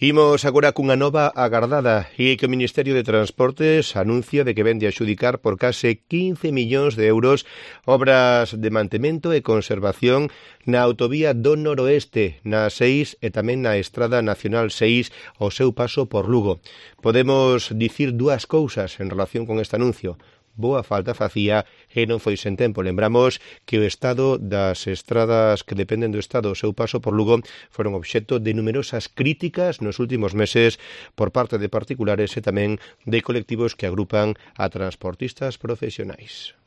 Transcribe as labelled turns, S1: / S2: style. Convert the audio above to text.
S1: Imos agora cunha nova agardada e que o Ministerio de Transportes anuncia de que vende a adxudicar por case 15 millóns de euros obras de mantemento e conservación na autovía do Noroeste, na 6 e tamén na Estrada Nacional 6 ao seu paso por Lugo. Podemos dicir dúas cousas en relación con este anuncio. Boa falta facía e non foi sen tempo. Lembramos que o estado das estradas que dependen do Estado ao seu paso por Lugo foron obxecto de numerosas críticas nos últimos meses por parte de particulares e tamén de colectivos que agrupan a transportistas profesionais.